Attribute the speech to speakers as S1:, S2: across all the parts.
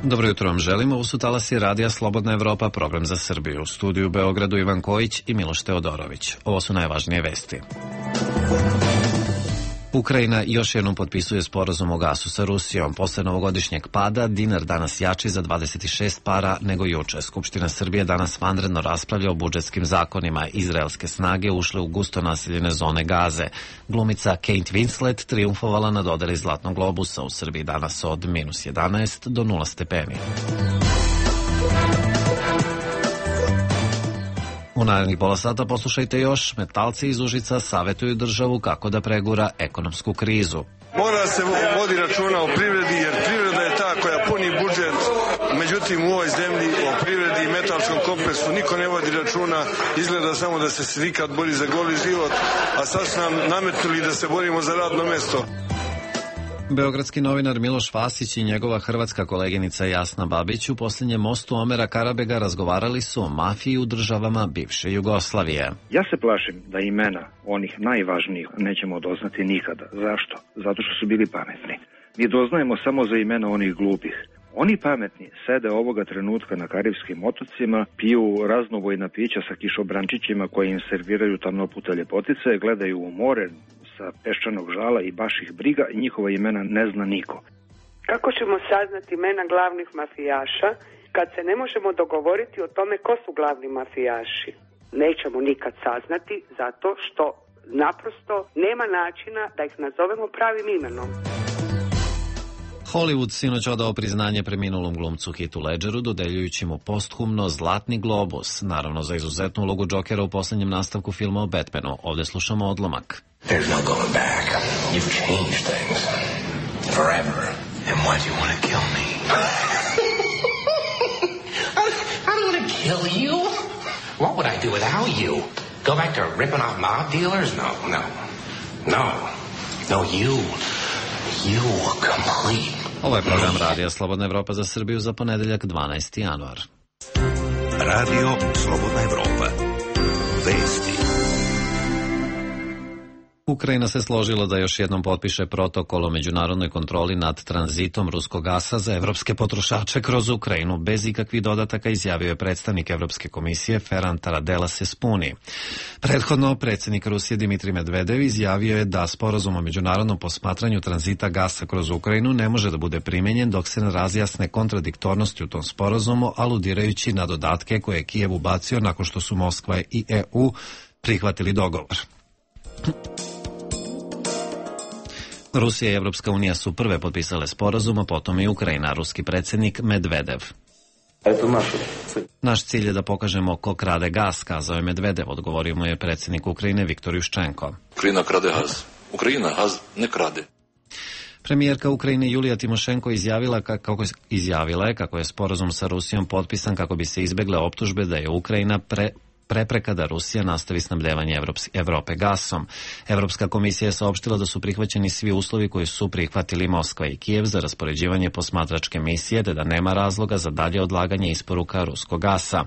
S1: Dobro jutro vam želimo, ovo su talasi Radija Slobodna Evropa, program za Srbiju. U studiju u Beogradu Ivan Kojić i Miloš Teodorović. Ovo su najvažnije vesti. Ukrajina još jednom potpisuje sporazum o gasu sa Rusijom. Posle novogodišnjeg pada, dinar danas jači za 26 para nego juče. Skupština Srbije danas vanredno raspravlja o budžetskim zakonima. Izraelske snage ušle u gusto naseljene zone Gaze. Glumica Kate Winslet triumfovala na dodeli Zlatnog globusa. U Srbiji danas od -11 do 0 stepeni. U narednih pola sata poslušajte još. Metalci iz Užica savetuju državu kako da pregura ekonomsku krizu.
S2: Mora se vodi računa o privredi, jer privreda je ta koja puni budžet. Međutim, u ovoj zemlji, o privredi i metalskom kompleksu niko ne vodi računa. Izgleda samo da se sindikat bori za goli život, a sad su nam nametnuli da se borimo za radno mesto.
S1: Beogradski novinar Miloš Vasić i njegova hrvatska koleginica Jasna Babić u posljednjem mostu Omera Karabega razgovarali su o mafiji u državama bivše Jugoslavije.
S3: Ja se plašim da imena onih najvažnijih nećemo doznati nikada. Zašto? Zato što su bili pametni. Mi doznajemo samo za imena onih glupih. Oni pametni sede ovoga trenutka na Karibskim otocima, piju raznovojna pića sa kišobrančićima koje im serviraju tamnoputa ljepotice, gledaju u more sa peščanog žala i baš ih briga i njihova imena ne zna niko.
S4: Kako ćemo saznati imena glavnih mafijaša kad se ne možemo dogovoriti o tome ko su glavni mafijaši? Nećemo nikad saznati zato što naprosto nema načina da ih nazovemo pravim imenom.
S1: Hollywood sinoć odao priznanje preminulom glumcu Heathu Ledgeru, dodeljujući mu posthumno Zlatni globus, naravno za izuzetnu ulogu Jokera u posljednjem nastavku filma o Batmanu. Ovdje slušamo odlomak.
S5: There's no going back. You've changed things. Forever. And why do you want to kill me? I don't want to kill you. What would I do without you? Go back to ripping off mob dealers? No, you complete.
S1: Ovo je program Radija Slobodna Evropa za Srbiju za ponedeljak 12. januar.
S6: Radio Slobodna Evropa. Vesti.
S1: Ukrajina se složila da još jednom potpiše protokol o međunarodnoj kontroli nad tranzitom ruskog gasa za evropske potrošače kroz Ukrajinu. Bez ikakvih dodataka izjavio je predstavnik Evropske komisije Ferran Taradella Sespuni. Prethodno, predsjednik Rusije Dimitrij Medvedev izjavio je da sporazum o međunarodnom posmatranju tranzita gasa kroz Ukrajinu ne može da bude primenjen dok se ne razjasne kontradiktornosti u tom sporazumu, aludirajući na dodatke koje je Kijev ubacio nakon što su Moskva i EU prihvatili dogovor. Rusija i Evropska unija su prve potpisale sporazum, a potom i Ukrajina, ruski predsjednik Medvedev. Naš cilj je da pokažemo ko krade gas, kazao je Medvedev, odgovorio mu je predsjednik Ukrajine Viktor Juščenko.
S7: Ukrajina krade gaz. Ukrajina gaz ne krade.
S1: Premijerka Ukrajine Julija Timošenko izjavila je kako je sporazum sa Rusijom potpisan kako bi se izbegle optužbe da je Ukrajina prepreka da Rusija nastavi snabdevanje Evrope gasom. Evropska komisija je saopštila da su prihvaćeni svi uslovi koji su prihvatili Moskva i Kijev za raspoređivanje posmatračke misije, te da nema razloga za dalje odlaganje isporuka ruskog gasa.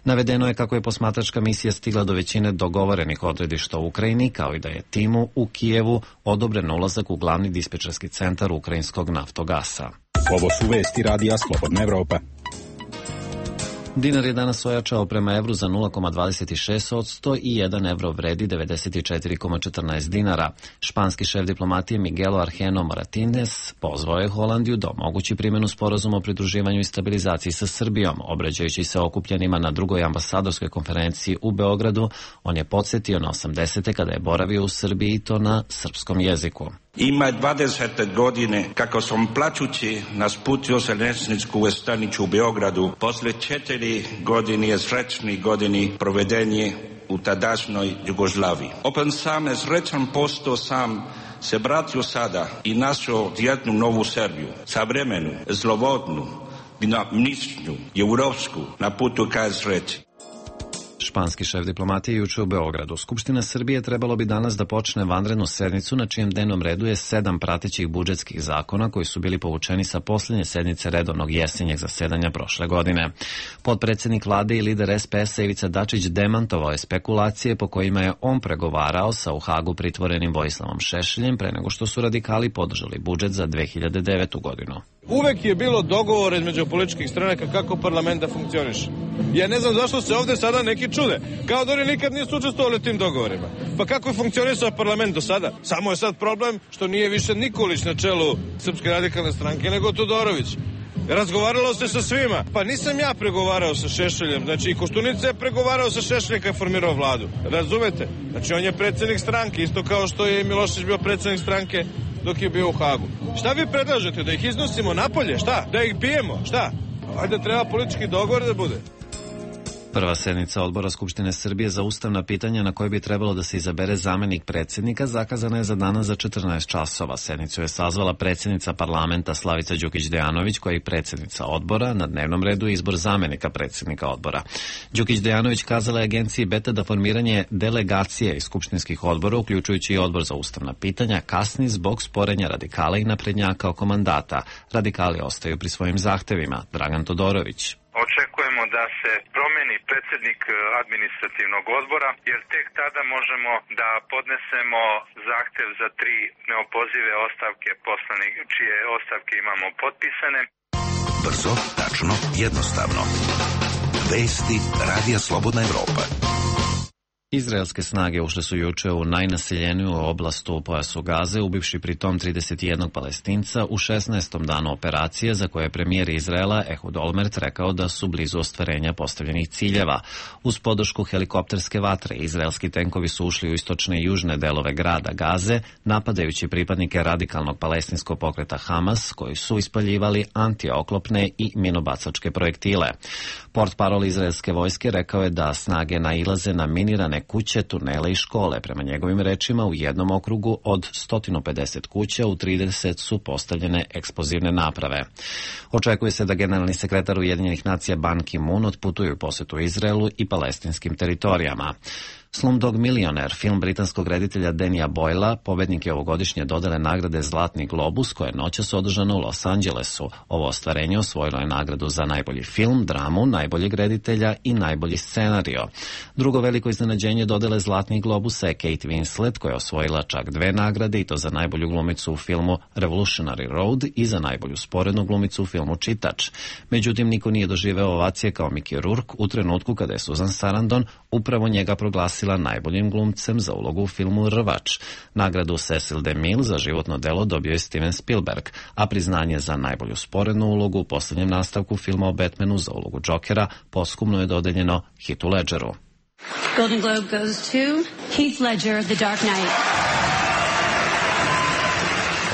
S1: Navedeno je kako je posmatračka misija stigla do većine dogovorenih odredišta u Ukrajini, kao i da je timu u Kijevu odobren ulazak u glavni dispečerski centar ukrajinskog naftogasa.
S8: Ovo su vesti Radija Slobodna Evropa.
S1: Dinar je danas ojačao prema evru za 0,26% i 1 evro vredi 94,14 dinara. Španski šef diplomatije Miguel Argeno Moratines pozvao je Holandiju da omogući primjenu sporazuma o pridruživanju i stabilizaciji sa Srbijom. Obraćajući se okupljenima na drugoj ambasadorskoj konferenciji u Beogradu, on je podsjetio na 80. kada je boravio u Srbiji i to na srpskom jeziku.
S9: Ima 20 godine kako sam plačući nasputio željezničku stanicu u Beogradu. Posle 4 godine srećni godini provedenje u tadašnjoj Jugoslaviji. Opet sam srećan postao sam se vratio sada i našao jednu novu Srbiju. Savremenu, slobodnu, dinamičnu, europsku na putu ka sreći.
S1: Španski šef diplomatije juče u Beogradu. Skupština Srbije trebalo bi danas da počne vanrednu sednicu na čijem dnevnom redu je 7 pratećih budžetskih zakona koji su bili povučeni sa posljednje sednice redovnog jesenjeg zasedanja prošle godine. Potpredsjednik vlade i lider SPS-a Ivica Dačić demantovao je spekulacije po kojima je on pregovarao sa u Hagu pritvorenim Vojislavom Šešeljem pre nego što su radikali podržali budžet za 2009. godinu.
S10: Uvek je bilo dogovor između političkih stranaka kako parlament da funkcioniše. Ja ne znam zašto se ovde sada neki čude. Kao da oni nikad nisu učestvovali u tim dogovorima. Pa kako je funkcionisao parlament do sada? Samo je sad problem što nije više Nikolić na čelu Srpske radikalne stranke, nego Todorović. Razgovaralo se sa svima. Pa nisam ja pregovarao sa Šešeljem. Znači i Koštunica je pregovarao sa Šešeljem kad je formirao vladu. Razumete? Znači on je predsednik stranke, isto kao što je Milošević bio predsednik stranke dok je bio u Hagu. Šta vi predlažete? Da ih iznosimo napolje? Šta? Da ih bijemo? Šta? Ajde, treba politički dogovor da bude.
S1: Prva sednica Odbora Skupštine Srbije za ustavna pitanja na kojoj bi trebalo da se izabere zamenik predsjednika zakazana je za danas za 14 časova. Sednicu je sazvala predsjednica parlamenta Slavica Đukić-Dejanović, koja je predsjednica odbora. Na dnevnom redu je izbor zamenika predsjednika odbora. Đukić-Dejanović kazala je agenciji Beta da formiranje delegacije iz skupštinskih odbora, uključujući i odbor za ustavna pitanja, kasni zbog sporenja radikala i naprednjaka oko mandata. Radikali ostaju pri svojim zahtevima. Dragan Todorović.
S11: Očekujemo da se promeni predsjednik administrativnog odbora, jer tek tada možemo da podnesemo zahtev za 3 neopozive ostavke poslanik, čije ostavke imamo potpisane.
S6: Brzo, tačno, jednostavno. Vesti Radija Slobodna Evropa.
S1: Izraelske snage ušle su juče u najnaseljeniju oblast u pojasu Gaze, ubivši pritom 31 Palestinca u 16. danu operacije, za koje je premijer Izraela Ehud Olmert rekao da su blizu ostvarenja postavljenih ciljeva. Uz podršku helikopterske vatre, izraelski tenkovi su ušli u istočne i južne delove grada Gaze, napadajući pripadnike radikalnog palestinskog pokreta Hamas, koji su ispaljivali antioklopne i minobacačke projektile. Portparol izraelske vojske rekao je da snage nailaze na minirane kuće, tunele i škole. Prema njegovim rečima, u jednom okrugu od 150 kuća u 30 su postavljene eksplozivne naprave. Očekuje se da generalni sekretar Ujedinjenih nacija Ban Ki-moon otputuje u posetu Izraelu i palestinskim teritorijama. Slumdog Millionaire, film britanskog reditelja Danija Boyla, pobednik je ovogodišnje dodele nagrade Zlatni globus, koje je noćas održano u Los Angelesu. Ovo ostvarenje osvojilo je nagradu za najbolji film, dramu, najboljeg reditelja i najbolji scenario. Drugo veliko iznenađenje dodele Zlatnih globusa je Kate Winslet, koja je osvojila čak 2 nagrade, i to za najbolju glumicu u filmu Revolutionary Road i za najbolju sporednu glumicu u filmu Čitač. Međutim, niko nije doživeo ovacije kao Mickey Rourke u trenutku kada je Susan Sarandon upravo njega proglasila najboljim glumcem za ulogu u filmu Rvač. Nagradu Cecil DeMille za životno delo dobio je Steven Spielberg, a priznanje za najbolju sporednu ulogu u posljednjem nastavku filma o Batmanu za ulogu Jokera posthumno je dodeljeno Heathu Ledgeru.
S12: Golden Globe goes to Heath Ledger, The Dark Knight.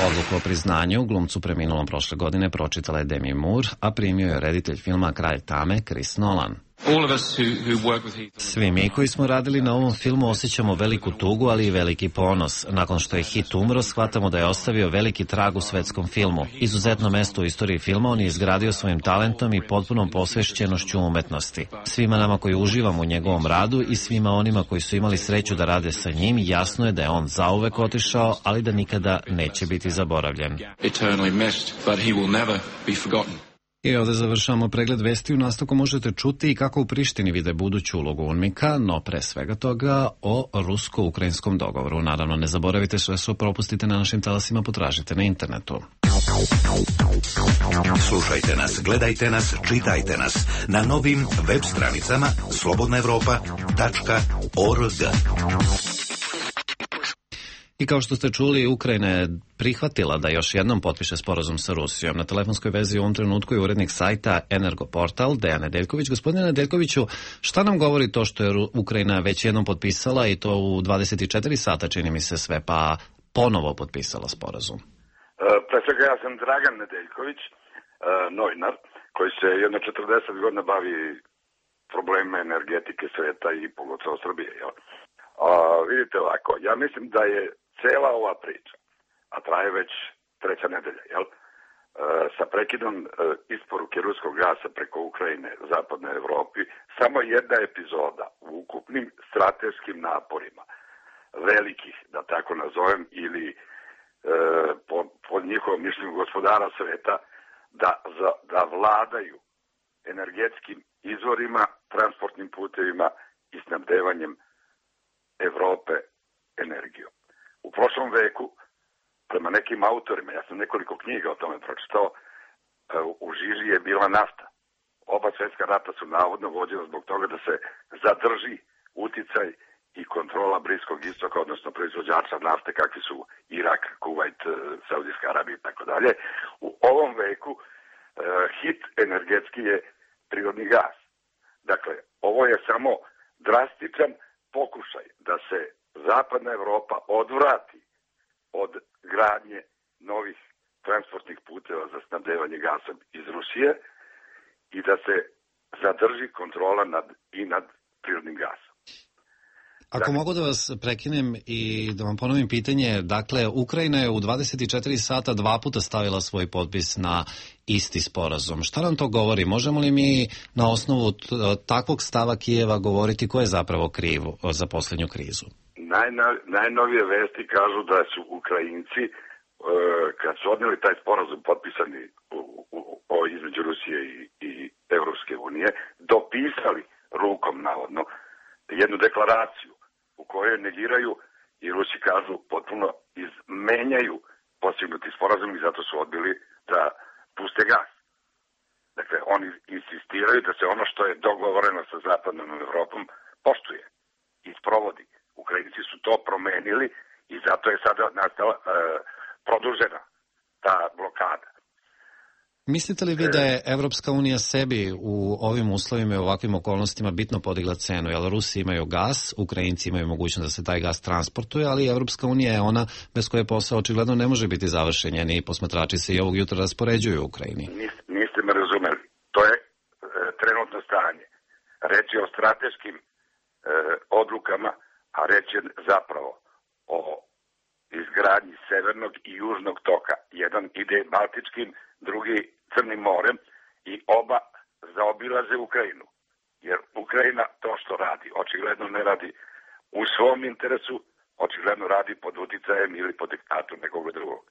S1: Odluku o priznanju glumcu preminulom prošle godine pročitala je Demi Moore, a primio je reditelj filma Kralj tame Chris Nolan. Svi mi koji smo radili na ovom filmu osjećamo veliku tugu, ali i veliki ponos. Nakon što je Heath umro, shvatamo da je ostavio veliki trag u svetskom filmu. Izuzetno mesto u istoriji filma on je izgradio svojim talentom i potpunom posvećenošću umetnosti. Svima nama koji uživamo u njegovom radu i svima onima koji su imali sreću da rade sa njim, jasno je da je on zauvek otišao, ali da nikada neće biti zaboravljen. I ovdje završamo pregled vesti. U nastavku možete čuti i kako u Prištini vide buduću ulogu UNMIK-a, no pre svega toga o rusko-ukrajinskom dogovoru. Naravno, ne zaboravite, sve što propustite na našim talasima potražite na internetu.
S6: Slušajte nas, gledajte nas, čitajte nas na novim web stranicama slobodnaevropa.org.
S1: I kao što ste čuli, Ukrajina je prihvatila da još jednom potpiše sporazum sa Rusijom. Na telefonskoj vezi u ovom trenutku je urednik sajta Energoportal, Dejan Nedeljković. Gospodine Nedeljkoviću, šta nam govori to što je Ukrajina već jednom potpisala i to u 24 sata, čini mi se sve, pa ponovo potpisala sporazum?
S13: Pre svega, ja sam Dragan Nedeljković, novinar, koji se jedno 40 godina bavi probleme energetike sveta i pogotovo Srbije, jel? Vidite ovako, ja mislim da je cela ova priča, a traje već 3. nedelja, jel? Sa prekidom isporuke ruskog gasa preko Ukrajine zapadnoj Evropi, samo jedna epizoda u ukupnim strateškim naporima velikih, da tako nazovem, ili po njihovom mišljenju gospodara sveta, da vladaju energetskim izvorima, transportnim putevima i snabdevanjem Evrope energijom. U prošlom veku, prema nekim autorima, ja sam nekoliko knjiga o tome pročitao, u žiži je bila nafta. Oba svjetska rata su navodno vođena zbog toga da se zadrži uticaj i kontrola Bliskog istoka, odnosno proizvođača nafte kakvi su Irak, Kuvajt, Saudijska Arabija i tako dalje. U ovom veku hit energetski je prirodni gas. Dakle, ovo je samo drastičan pokušaj da se zapadna Evropa odvrati od gradnje novih transportnih puteva za snabdevanje gasom iz Rusije i da se zadrži kontrola nad prirodnim gasom.
S1: Ako mogu da vas prekinem i da vam ponovim pitanje, dakle, Ukrajina je u 24 sata 2 puta stavila svoj potpis na isti sporazum. Šta nam to govori? Možemo li mi na osnovu takvog stava Kijeva govoriti ko je zapravo kriv za posljednju krizu?
S13: Najnovije vesti kažu da su Ukrajinci, kad su odnijeli taj sporazum potpisani između Rusije i Evropske unije, dopisali rukom navodno jednu deklaraciju u kojoj negiraju i Rusi kažu potpuno izmenjaju postignuti sporazum i zato su odbili da puste gas. Dakle, oni insistiraju da se ono što je dogovoreno sa zapadnom Evropom poštuje i sprovodi. Ukrajinci su to promenili i zato je sada nastala produžena ta blokada.
S1: Mislite li vi da je Evropska unija sebi u ovim uslovima i ovakvim okolnostima bitno podigla cenu? Jer Rusi imaju gas, Ukrajinci imaju mogućnost da se taj gas transportuje, ali Evropska unija je ona bez koje posao očigledno ne može biti završen. Njeni posmatrači se i ovog jutra raspoređuju u Ukrajini.
S13: Niste me razumeli. To je trenutno stanje. Reč je o strateškim odlukama, a reč je zapravo o izgradnji severnog i južnog toka. Jedan ide Baltičkim, drugi Crnim morem i oba zaobilaze Ukrajinu. Jer Ukrajina to što radi, očigledno ne radi u svom interesu, očigledno radi pod uticajem ili pod diktatom nekog drugog.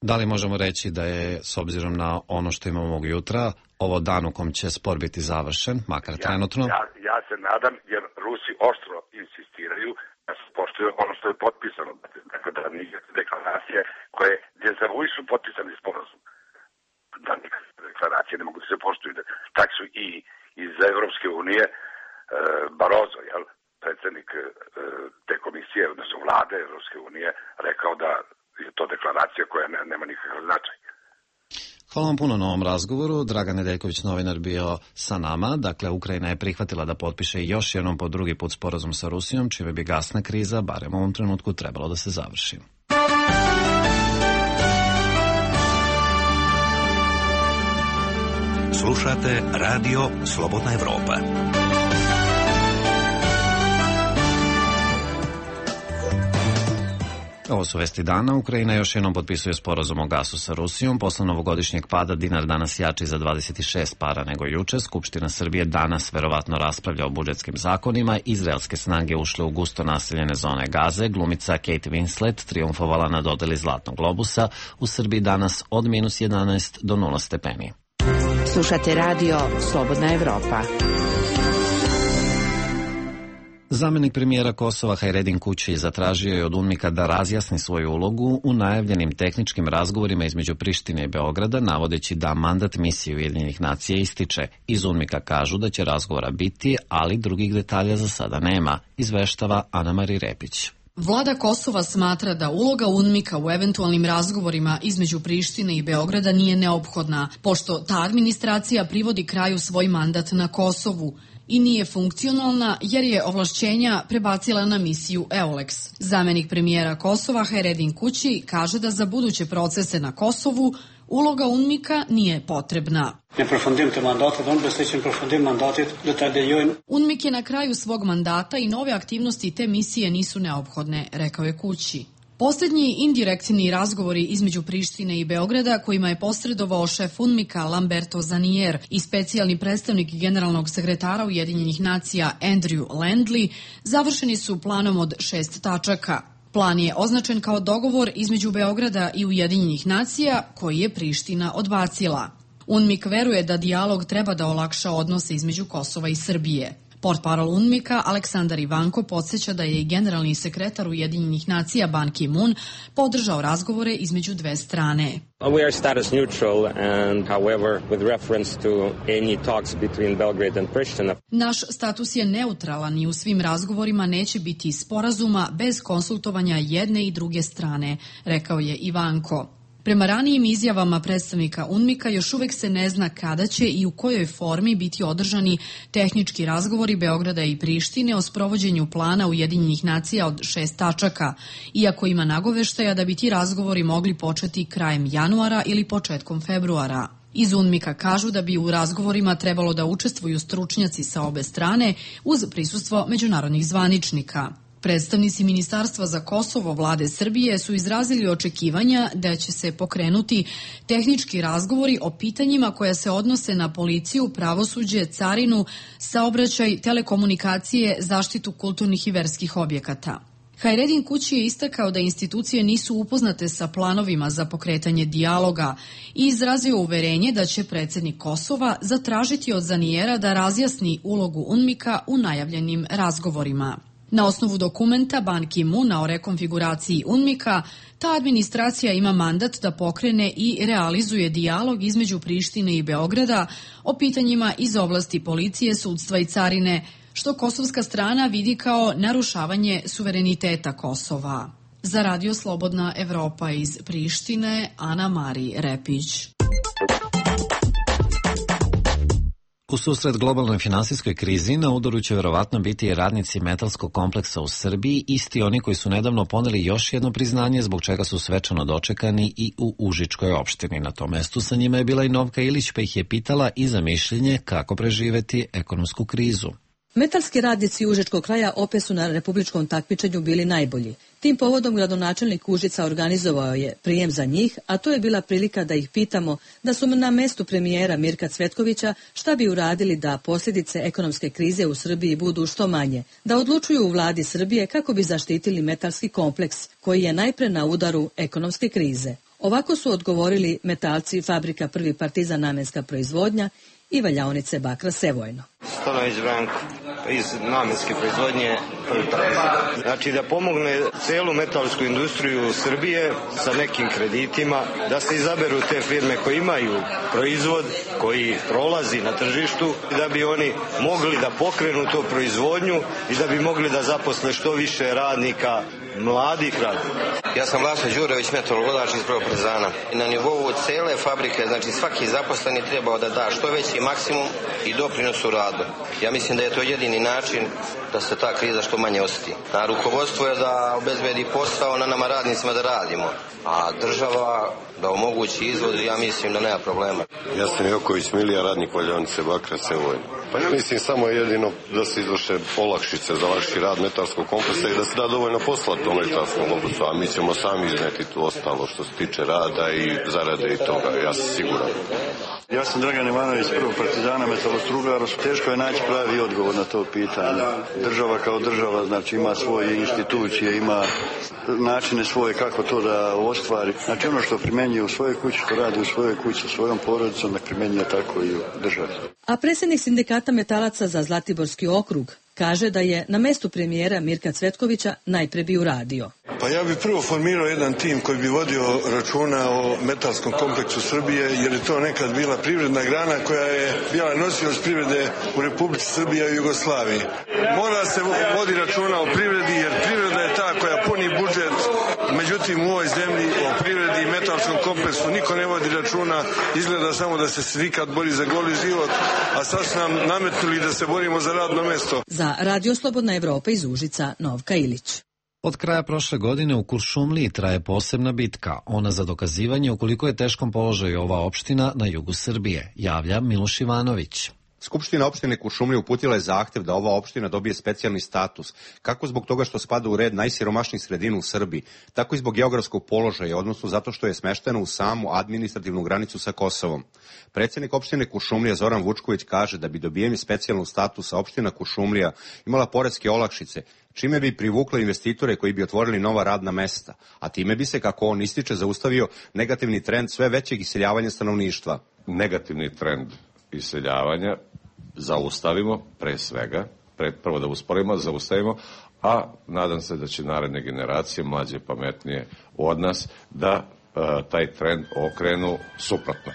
S1: Da li možemo reći da je, s obzirom na ono što imamo ovog jutra, ovo dan u kom će spor biti završen, makar trenutno?
S13: Ja se nadam, jer Rusi oštro insistiraju da se poštuje ono što je potpisano. Dakle, da nikakve deklaracije koje dezavuišu potpisani sporazum. Da nikakve deklaracije ne mogu da se poštuju. Tak su i iz Evropske unije Barozo, predsjednik te komisije, odnosno vlade Evropske unije, rekao da je to deklaracija koja nema nikakav značaj.
S1: Hvala vam puno na ovom razgovoru. Dragan Nedeljković, novinar, bio sa nama. Dakle, Ukrajina je prihvatila da potpiše još jednom po drugi put sporazum sa Rusijom, čime bi gasna kriza, barem u ovom trenutku, trebalo da se završi.
S6: Slušate Radio Slobodna Evropa.
S1: Ovo su vesti dana. Ukrajina još jednom potpisuje sporazum o gasu sa Rusijom. Posle novogodišnjeg pada dinar danas jači za 26 para nego juče. Skupština Srbije danas verovatno raspravlja o budžetskim zakonima. Izraelske snage ušle u gusto naseljene zone Gaze. Glumica Kate Winslet triumfovala na dodeli Zlatnog globusa. U Srbiji danas od -11 do 0 stepeni.
S14: Slušate Radio Slobodna Evropa.
S1: Zamenik premijera Kosova Hajredin Kući zatražio je od UNMIK-a da razjasni svoju ulogu u najavljenim tehničkim razgovorima između Prištine i Beograda, navodeći da mandat misije Ujedinjenih nacija ističe. Iz UNMIK-a kažu da će razgovora biti, ali drugih detalja za sada nema, izveštava Ana-Mari Repić.
S15: Vlada Kosova smatra da uloga UNMIK-a u eventualnim razgovorima između Prištine i Beograda nije neophodna, pošto ta administracija privodi kraju svoj mandat na Kosovu i nije funkcionalna jer je ovlašćenja prebacila na misiju EULEX. Zamenik premijera Kosova Hajredin Kući kaže da za buduće procese na Kosovu uloga UNMIK-a nije potrebna. UNMIK je na kraju svog mandata i nove aktivnosti te misije nisu neophodne, rekao je Kući. Posljednji indirektni razgovori između Prištine i Beograda, kojima je posredovao šef UNMIK-a Lamberto Zanier i specijalni predstavnik generalnog sekretara Ujedinjenih nacija Andrew Landley, završeni su planom od 6 tačaka. Plan je označen kao dogovor između Beograda i Ujedinjenih nacija, koji je Priština odbacila. UNMIK veruje da dijalog treba da olakša odnose između Kosova i Srbije. Portparol UNMIK-a Aleksandar Ivanko podsjeća da je i generalni sekretar Ujedinjenih nacija Ban Ki-moon podržao razgovore između dve strane.
S16: We are status neutral and however with reference to any talks between Belgrade and Pristina.
S15: Naš status je neutralan i u svim razgovorima neće biti sporazuma bez konsultovanja jedne i druge strane, rekao je Ivanko. Prema ranijim izjavama predstavnika UNMIK-a još uvek se ne zna kada će i u kojoj formi biti održani tehnički razgovori Beograda i Prištine o sprovođenju plana Ujedinjenih nacija od 6 tačaka, iako ima nagoveštaja da bi ti razgovori mogli početi krajem januara ili početkom februara. Iz UNMIK-a kažu da bi u razgovorima trebalo da učestvuju stručnjaci sa obe strane uz prisustvo međunarodnih zvaničnika. Predstavnici Ministarstva za Kosovo vlade Srbije su izrazili očekivanja da će se pokrenuti tehnički razgovori o pitanjima koja se odnose na policiju, pravosuđe, carinu, saobraćaj, telekomunikacije, zaštitu kulturnih i verskih objekata. Hajredin Kući je istakao da institucije nisu upoznate sa planovima za pokretanje dijaloga i izrazio uverenje da će predsednik Kosova zatražiti od Zanijera da razjasni ulogu UNMIK-a u najavljenim razgovorima. Na osnovu dokumenta Ban Ki-moona o rekonfiguraciji UNMIK-a, ta administracija ima mandat da pokrene i realizuje dijalog između Prištine i Beograda o pitanjima iz oblasti policije, sudstva i carine, što kosovska strana vidi kao narušavanje suvereniteta Kosova. Za Radio Slobodna Evropa iz Prištine, Ana Mari Repić.
S1: U susret globalnoj finansijskoj krizi na udaru će verovatno biti i radnici metalskog kompleksa u Srbiji, isti oni koji su nedavno poneli još jedno priznanje zbog čega su svečano dočekani i u Užičkoj opštini. Na tom mestu sa njima je bila i Novka Ilić, pa ih je pitala i za mišljenje kako preživeti ekonomsku krizu.
S17: Metalski radnici Užičkog kraja opet su na republičkom takmičenju bili najbolji. Tim povodom gradonačelnik Užica organizovao je prijem za njih, a to je bila prilika da ih pitamo da su na mestu premijera Mirka Cvetkovića šta bi uradili da posljedice ekonomske krize u Srbiji budu što manje, da odlučuju u vladi Srbije kako bi zaštitili metalski kompleks koji je najpre na udaru ekonomske krize. Ovako su odgovorili metalci fabrika Prvi Partizan namenska proizvodnja i valjaonice bakra Sevojno.
S18: Stanović Branko iz namenske proizvodnje Prvi Partizan. Znači da pomogne celu metalsku industriju Srbije sa nekim kreditima, da se izaberu te firme koje imaju proizvod koji prolazi na tržištu i da bi oni mogli da pokrenu tu proizvodnju i da bi mogli da zaposle što više radnika, mladih radnika.
S19: Ja sam Vlasno Đurević, metalurgodač iz Prvog Partizana. Na nivou cele fabrike, znači svaki zaposleni trebao da da što veći maksimum i doprinos u radu. Ja mislim da je to jedini način da se ta kriza što manje osjeti. Na rukovodstvo je da obezbedi posao, na nama radnicima da radimo, a država da omogući izvoz, ja mislim da nema problema.
S20: Ja sam Joković Milija, radnik valjaonice bakra Sevojno. Pa ja mislim samo jedino da se izvrše olakšice za lakši rad metalskog kompleksa i da se da dovoljno posla tom metalskom kompleksu, a mi ćemo sami izneti tu ostalo što se tiče rada i zarade i toga, ja sam siguran.
S21: Ja sam Dragan Ivanović, Prvog Partizana, metalostrugar. Teško je naći pravi odgovor na to pitanje. Država kao država, znači ima svoje institucije, ima načine svoje kako to da ostvari. Znači ono što primenjuje u svojoj kući, što radi u svojoj kući sa svojom porodicom, da primenjuje tako i u državi.
S17: A predsjednik sindikata metalaca za Zlatiborski okrug kaže da je na mestu premijera Mirka Cvetkovića najpre bi uradio.
S2: Pa ja bih prvo formirao jedan tim koji bi vodio računa o metalskom kompleksu Srbije, jer je to nekad bila privredna grana koja je bila nosioc privrede u Republici Srbije i Jugoslaviji. Mora se vodi računa o privredi, jer privreda je ta koja puni budžet. Međutim, u ovoj zemlji o privredi i metalskom kompleksu niko ne vodi računa, izgleda samo da se sindikat bori za goli život, a sad su nam nametnuli da se borimo za radno mesto.
S17: Za Radio Slobodna Evropa iz Užica, Novka Ilić.
S1: Od kraja prošle godine u Kuršumliji traje posebna bitka, ona za dokazivanje u koliko je teškom položaju ova opština na jugu Srbije, javlja Miloš Ivanović.
S22: Skupština opštine Kuršumlija uputila je zahtev da ova opština dobije specijalni status, kako zbog toga što spada u red najsiromašnijih sredina u Srbiji, tako i zbog geografskog položaja, odnosno zato što je smeštena u samu administrativnu granicu sa Kosovom. Predsjednik opštine Kuršumlija Zoran Vučković kaže da bi dobijeni specijalnog statusa opština Kuršumlija imala poreske olakšice, čime bi privukla investitore koji bi otvorili nova radna mesta, a time bi se, kako on ističe, zaustavio negativni trend sve većeg iseljavanja stanovništva.
S20: Negativni trend iseljavanja zaustavimo pre svega
S3: prvo da usporimo, zaustavimo, a nadam se da će naredne generacije, mlađe, pametnije od nas, da taj trend okrenu suprotno.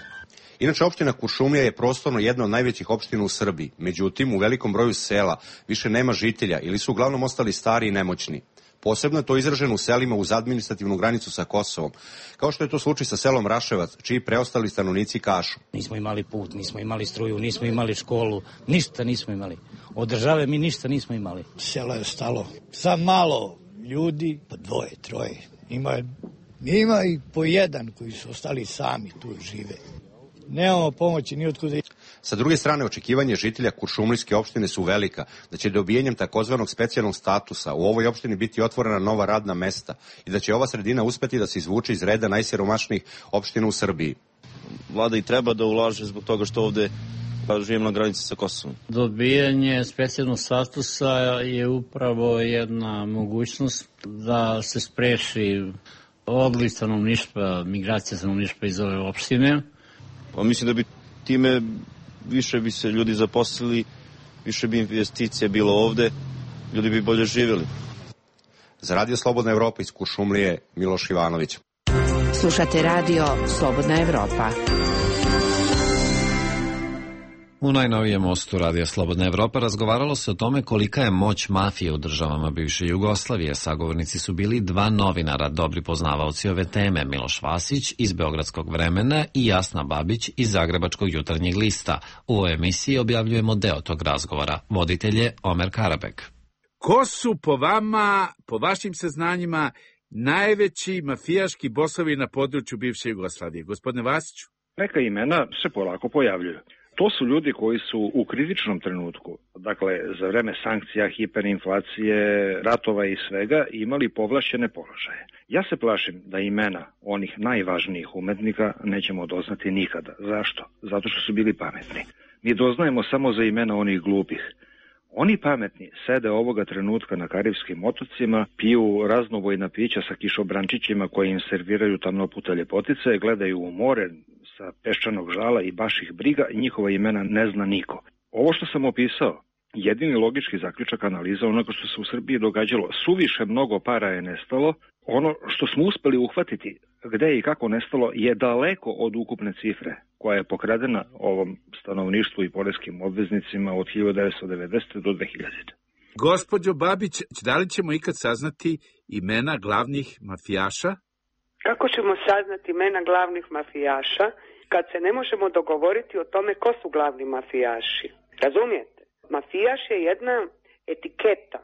S22: Inače, opština Kuršumlija je prostorno jedna od najvećih opština u Srbiji. Međutim, u velikom broju sela više nema žitelja ili su uglavnom ostali stari i nemoćni. Posebno je to izraženo u selima uz administrativnu granicu sa Kosovom, kao što je to slučaj sa selom Raševac, čiji preostali stanovnici kažu.
S4: Nismo imali put, nismo imali struju, nismo imali školu, ništa nismo imali. Od države mi ništa nismo imali.
S23: Selo je stalo. Sad malo ljudi, po 2, 3. Ima i po 1 koji su ostali sami tu žive. Nemamo pomoći ni otkuda.
S22: Sa druge strane, očekivanje žitelja Kuršumlijske opštine su velika, da će dobijanjem takozvanog specijalnog statusa u ovoj opštini biti otvorena nova radna mesta i da će ova sredina uspeti da se izvuče iz reda najsiromašnijih opština u Srbiji.
S24: Vlada i treba da ulaže zbog toga što ovde živimo na granici sa Kosovom.
S25: Dobijanje specijalnog statusa je upravo jedna mogućnost da se spreči odliv stanovništva, migracija stanovništva iz ove opštine.
S24: Pa mislim da bi time više bi se ljudi zaposlili, više bi investicija bilo ovde, ljudi bi bolje živjeli.
S22: Za Radio Slobodna Evropa iz Kuršumlije, Miloš Ivanović.
S14: Slušate Radio Slobodna Evropa.
S1: U najnovijem mostu Radija Slobodna Evropa razgovaralo se o tome kolika je moć mafije u državama bivše Jugoslavije. Sagovornici su bili 2 novinara, dobri poznavaoci ove teme, Miloš Vasić iz Beogradskog Vremena i Jasna Babić iz Zagrebačkog Jutarnjeg lista. U ovoj emisiji objavljujemo deo tog razgovora. Voditelj je Omer Karabek.
S26: Ko su po vama, po vašim saznanjima, najveći mafijaški bosovi na području bivše Jugoslavije? Gospodine Vasiću?
S27: Neka imena se polako pojavljuju. To su ljudi koji su u kritičnom trenutku, dakle za vreme sankcija, hiperinflacije, ratova i svega, imali povlašćene položaje. Ja se plašim da imena onih najvažnijih umetnika nećemo doznati nikada. Zašto? Zato što su bili pametni. Mi doznajemo samo za imena onih glupih. Oni pametni sede ovoga trenutka na Karibskim otocima, piju raznovojna pića sa kišobrančićima koji im serviraju tamnopute ljepotice, gledaju u more sa peščanog žala i baš ih briga i njihova imena ne zna niko. Ovo što sam opisao, jedini logički zaključak analiza onoga što se u Srbiji događalo, suviše mnogo para je nestalo, ono što smo uspeli uhvatiti gde i kako nestalo je daleko od ukupne cifre koja je pokradena ovom stanovništvu i poreskim obveznicima od 1990. do 2000.
S26: Gospođo Babić, da li ćemo ikad saznati imena glavnih mafijaša?
S28: Kako ćemo saznati imena glavnih mafijaša kad se ne možemo dogovoriti o tome ko su glavni mafijaši? Razumijete? Mafijaš je jedna etiketa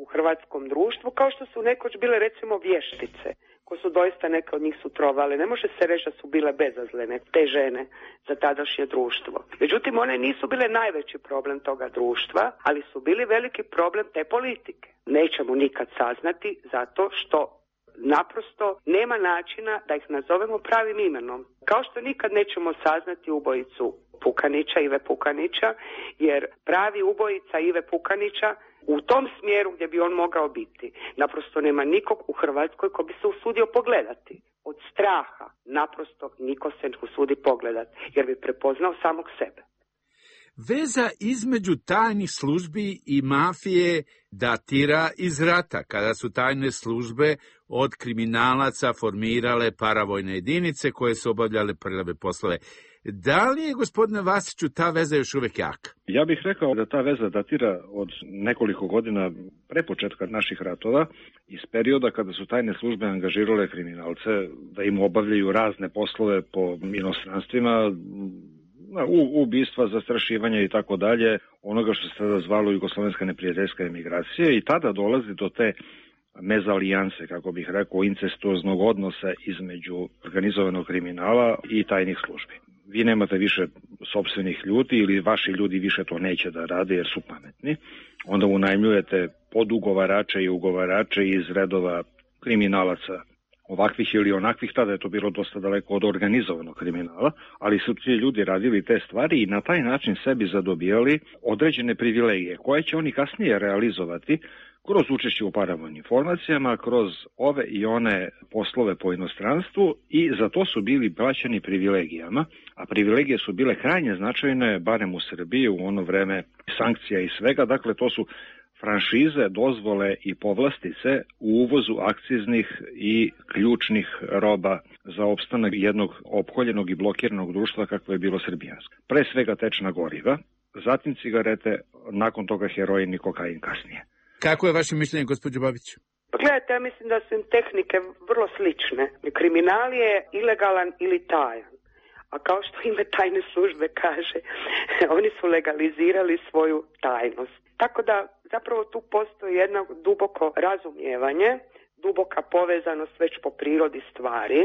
S28: u hrvatskom društvu, kao što su nekoć bile recimo vještice, ko su doista neke od njih su trovale. Ne može se reći da su bile bezazlene, te žene, za tadašnje društvo. Međutim, one nisu bile najveći problem toga društva, ali su bili veliki problem te politike. Nećemo nikad saznati zato što naprosto nema načina da ih nazovemo pravim imenom. Kao što nikad nećemo saznati ubojicu Pukanića, Ive Pukanića, jer pravi ubojica Ive Pukanića u tom smjeru gdje bi on mogao biti, naprosto nema nikog u Hrvatskoj ko bi se usudio pogledati. Od straha naprosto niko se ne usudi pogledati, jer bi prepoznao samog sebe.
S26: Veza između tajnih službi i mafije datira iz rata, kada su tajne službe od kriminalaca formirale paravojne jedinice koje su obavljale prljave poslove. Da li je, gospodine Vasiću, ta veza još uvek jaka?
S27: Ja bih rekao da ta veza datira od nekoliko godina pre početka naših ratova, iz perioda kada su tajne službe angažirale kriminalce da im obavljaju razne poslove po inostranstvima, ubistva, zastrašivanja i tako dalje, onoga što se tada zvalo jugoslovenska neprijateljska emigracija, i tada dolazi do te mezalijanse, kako bih rekao, incestuoznog odnosa između organizovanog kriminala i tajnih službi. Vi nemate više sopstvenih ljudi ili vaši ljudi više to neće da rade jer su pametni, onda unajmljujete podugovarače i ugovarače iz redova kriminalaca ovakvih ili onakvih. Tada je to bilo dosta daleko od organizovanog kriminala, ali su ti ljudi radili te stvari i na taj način sebi zadobijali određene privilegije koje će oni kasnije realizovati kroz učešće u paravojnim formacijama, kroz ove i one poslove po inostranstvu i za to su bili plaćeni privilegijama, a privilegije su bile krajnje značajne, barem u Srbiji u ono vreme sankcija i svega, dakle to su franšize, dozvole i povlastice u uvozu akciznih i ključnih roba za opstanak jednog opkoljenog i blokiranog društva kakvo je bilo srbijansko. Pre svega tečna goriva, zatim cigarete, nakon toga heroin i kokain kasnije.
S26: Kako je vaše mišljenje, gospođo Babić?
S28: Pa gledajte, ja mislim da su im tehnike vrlo slične. Kriminal je ilegalan ili tajan. A kao što ime tajne službe kaže, oni su legalizirali svoju tajnost. Tako da zapravo tu postoji jedno duboko razumijevanje, duboka povezanost već po prirodi stvari,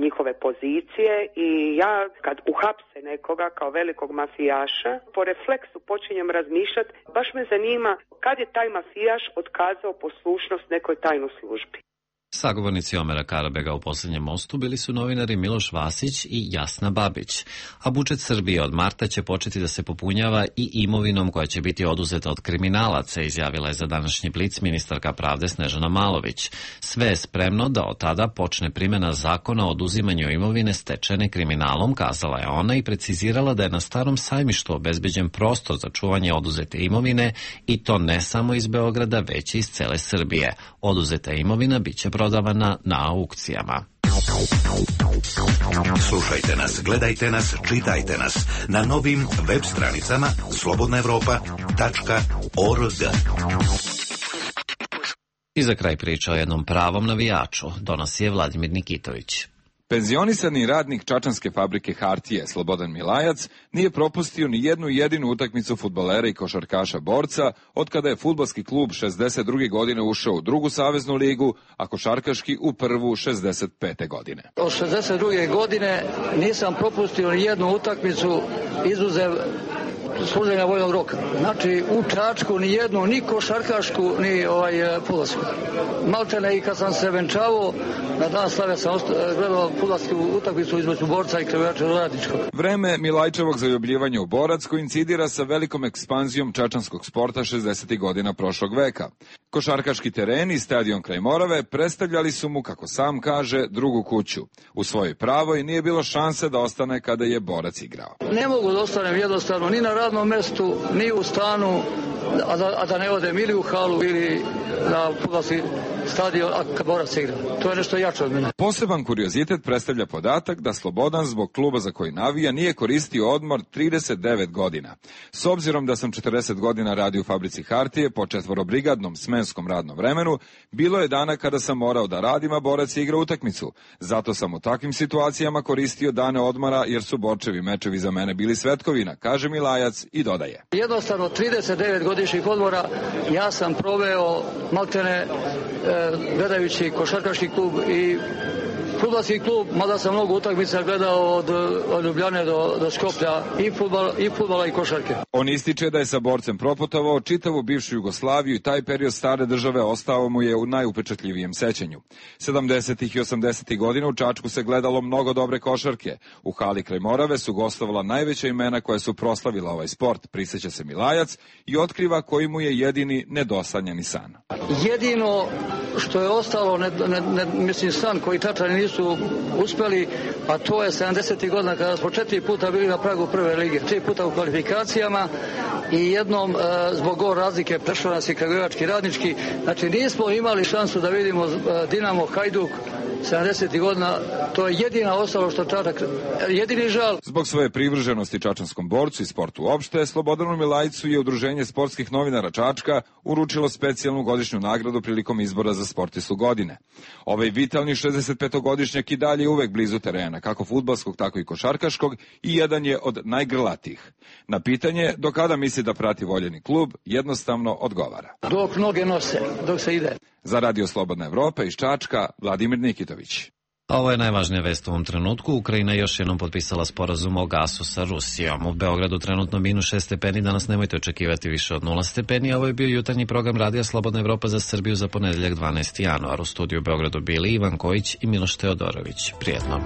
S28: njihove pozicije i ja kad uhapse nekoga kao velikog mafijaša, po refleksu počinjem razmišljati, baš me zanima kad je taj mafijaš otkazao poslušnost nekoj tajnoj službi.
S1: Sagovornici Omera Karabega u Posljednjem mostu bili su novinari Miloš Vasić i Jasna Babić, a budžet Srbije od marta će početi da se popunjava i imovinom koja će biti oduzeta od kriminalaca, izjavila je za današnji Blic ministarka pravde Snežana Malović. Sve je spremno da od tada počne primjena zakona o oduzimanju imovine stečene kriminalom, kazala je ona i precizirala da je na Starom sajmištu obezbeđen prostor za čuvanje oduzete imovine i to ne samo iz Beograda, već i iz cele Srbije. Oduzeta imovina biće prodavana na aukcijama.
S6: Slušajte nas, gledajte nas, čitajte nas na novim web stranicama slobodnaevropa.org.
S1: I za kraj priča o jednom pravom navijaču, donosi je Vladimir Nikitović.
S5: Penzionisani radnik čačanske fabrike hartije Slobodan Milajac nije propustio ni jednu jedinu utakmicu fudbalera i košarkaša borca od kada je fudbalski klub 62. godine ušao u drugu saveznu ligu, a košarkaški u prvu 65. godine.
S7: Od 62. godine nisam propustio ni jednu utakmicu izuzev služenja vojnog roka. Znači u Čačku ni jednu, ni košarkašku, ni fudbalsku. Maltene i kad sam se venčavao, na dan slave sam gledao fudbalsku utakmicu između borca i krevača radničkog.
S5: Vreme Milajčevog zaljubljivanja u borac koincidira sa velikom ekspanzijom čačanskog sporta 60. godina prošlog veka. Košarkaški teren i stadion kraj Morave predstavljali su mu, kako sam kaže, drugu kuću. U svojoj pravoj nije bilo šanse da ostane kada je borac igrao.
S7: Ne mogu da ostanem jednostavno ni na radnom mestu, ni u stanu, a da ne odem ili u halu ili na fudbalski stadion, a kad borac igra. To je nešto jače od mene.
S5: Poseban kuriozitet predstavlja podatak da Slobodan zbog kluba za koji navija nije koristio odmor 39 godina. S obzirom da sam 40 godina radio u fabrici hartije po četvorobrigadnom smenskom radnom vremenu, bilo je dana kada sam morao da radim, a borac igra utakmicu. Zato sam u takvim situacijama koristio dane odmora jer su borčevi mečevi za mene bili svetkovina, kaže Milajac i dodaje.
S7: Jednostavno 39 godišnjih odmora ja sam proveo maltene gledajući košarkaški klub i fudbalski klub, mada sam mnogo utakmica gledao od Ljubljane do Skoplja, i fudbala i košarke.
S5: On ističe da je sa borcem proputovao čitavu bivšu Jugoslaviju i taj period stare države ostao mu je u najupečatljivijem sećanju. 70. i 80. godina u Čačku se gledalo mnogo dobre košarke. U hali kraj Morave su gostovala najveća imena koja su proslavila ovaj sport, prisjeća se Milajac i otkriva koji mu je jedini nedosanjani san.
S7: Jedino što je ostalo, mislim san koji Čačani nisu uspeli, a to je 70. godina kada smo 4 puta bili na pragu prve lige, 3 puta u kvalifikacijama i jednom zbog gol razlike prešao nas i Kragujevački radnički. Znači nismo imali šansu da vidimo Dinamo, Hajduk 70. godina, to je jedina ostalo što Čačak, jedini žal.
S5: Zbog svoje privrženosti čačanskom borcu i sportu uopšte, Slobodanu Milajcu je Udruženje sportskih novinara Čačka uručilo specijalnu godišnju nagradu prilikom izbora za sportistu godine. Ovaj vitalni 65-godišnjak i dalje uvek blizu terena, kako fudbalskog, tako i košarkaškog, i jedan je od najgrlatijih. Na pitanje do kada misli da prati voljeni klub, jednostavno odgovara.
S7: Dok noge nose, dok se ide.
S5: Za Radio Slobodna Evropa iz Čačka, Vladimir Nikitović.
S1: Ovo je najvažnija vest u ovom trenutku. Ukrajina još jednom potpisala sporazum o gasu sa Rusijom. U Beogradu trenutno -6 stepeni, danas nemojte očekivati više od 0 stepeni. Ovo je bio jutarnji program Radija Slobodna Evropa za Srbiju za ponedeljak 12. januar. U studiju u Beogradu bili Ivan Kojić i Miloš Teodorović. Prijetno.